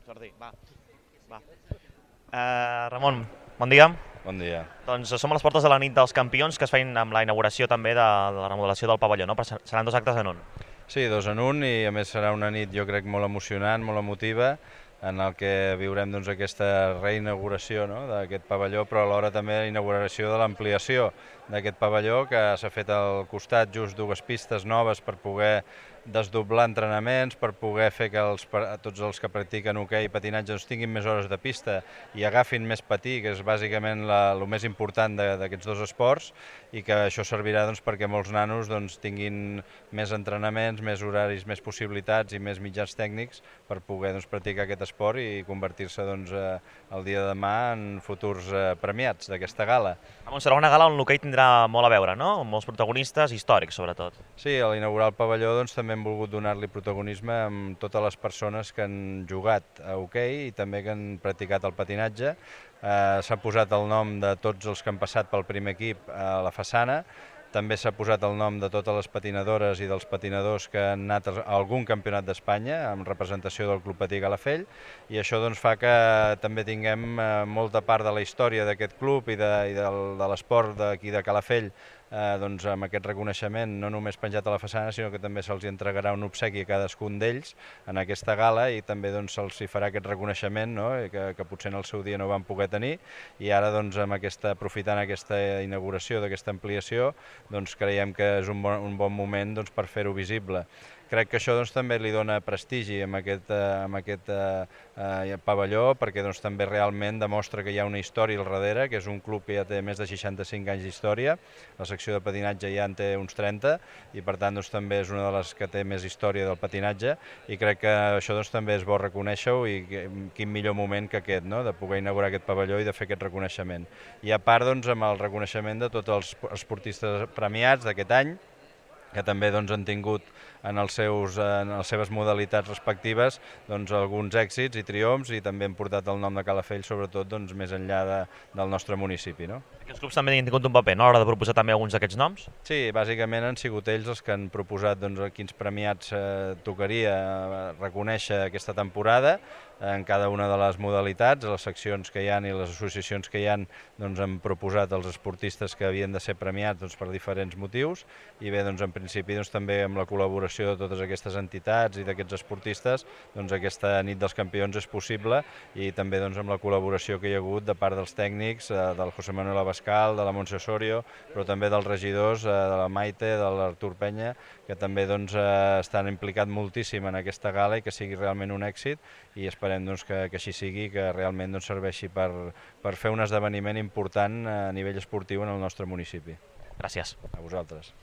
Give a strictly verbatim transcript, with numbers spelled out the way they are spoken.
Jordi, va. va. Uh, Ramon, bon dia. Bon dia. Doncs som a les portes de la nit dels campions, que es feien amb la inauguració també de, de la remodelació del pavelló, no? Però seran dos actes en un. Sí, dos en un, i a més serà una nit, jo crec, molt emocionant, molt emotiva, en el que viurem doncs, aquesta reinauguració, no?, d'aquest pavelló, però alhora també la inauguració de l'ampliació d'aquest pavelló, que s'ha fet al costat just dues pistes noves per poder desdoblar entrenaments, per poder fer que els, tots els que practiquen hoquei i patinatge doncs, tinguin més hores de pista i agafin més patí, que és bàsicament el més important d'aquests dos esports, i que això servirà doncs, perquè molts nanos doncs, tinguin més entrenaments, més horaris, més possibilitats i més mitjans tècnics per poder doncs, practicar aquest esport i convertir-se doncs, el dia de demà en futurs premiats d'aquesta gala. Ramon, serà una gala on l'hoquei tindrà molt a veure, no? Amb molts protagonistes històrics, sobretot. Sí, a l'inaugurar el pavelló doncs, també hem volgut donar-li protagonisme amb totes les persones que han jugat a hoquei i també que han practicat el patinatge. Eh, S'ha posat el nom de tots els que han passat pel primer equip a la façana. També s'ha posat el nom de totes les patinadores i dels patinadors que han anat a algun campionat d'Espanya amb representació del Club Patí Calafell, i això doncs, fa que també tinguem molta part de la història d'aquest club i de, i del, de l'esport d'aquí de Calafell eh, doncs, amb aquest reconeixement no només penjat a la façana, sinó que també se'ls entregarà un obsequi a cadascun d'ells en aquesta gala, i també doncs, se'ls farà aquest reconeixement, no?, que, que potser en el seu dia no van poder tenir, i ara doncs, amb aquesta, aprofitant aquesta inauguració d'aquesta ampliació, doncs creiem que és un bon, un bon moment doncs, per fer-ho visible. Crec que això doncs, també li dona prestigi amb aquest, amb aquest eh, pavelló, perquè doncs, també realment demostra que hi ha una història al darrere, que és un club que ja té més de seixanta-cinc anys d'història, la secció de patinatge ja en té uns trenta, i per tant doncs, també és una de les que té més història del patinatge, i crec que això doncs, també és bo reconèixer-ho, i quin millor moment que aquest, no?, de poder inaugurar aquest pavelló i de fer aquest reconeixement. I a part doncs, amb el reconeixement de tots els esportistes premiats d'aquest any, que també doncs, han tingut en, els seus, en les seves modalitats respectives doncs, alguns èxits i triomfs, i també han portat el nom de Calafell, sobretot doncs, més enllà de, del nostre municipi. No? Aquests clubs també han tingut un paper, no?, a l'hora de proposar també alguns d'aquests noms? Sí, bàsicament han sigut ells els que han proposat doncs, quins premiats eh, tocaria reconèixer aquesta temporada en cada una de les modalitats. Les seccions que hi ha i les associacions que hi ha doncs, han proposat els esportistes que havien de ser premiats doncs, per diferents motius, i bé, doncs, en principi doncs, també amb la col·laboració de totes aquestes entitats i d'aquests esportistes doncs, aquesta nit dels campions és possible, i també doncs, amb la col·laboració que hi ha hagut de part dels tècnics, eh, del José Manuel Abascal, de la Montse Osorio, però també dels regidors, eh, de la Maite, de l'Artur Penya, que també doncs, eh, estan implicats moltíssim en aquesta gala i que sigui realment un èxit, i esperem doncs, que, que així sigui, que realment doncs, serveixi per, per fer un esdeveniment important a nivell esportiu en el nostre municipi. Gràcies. A vosaltres.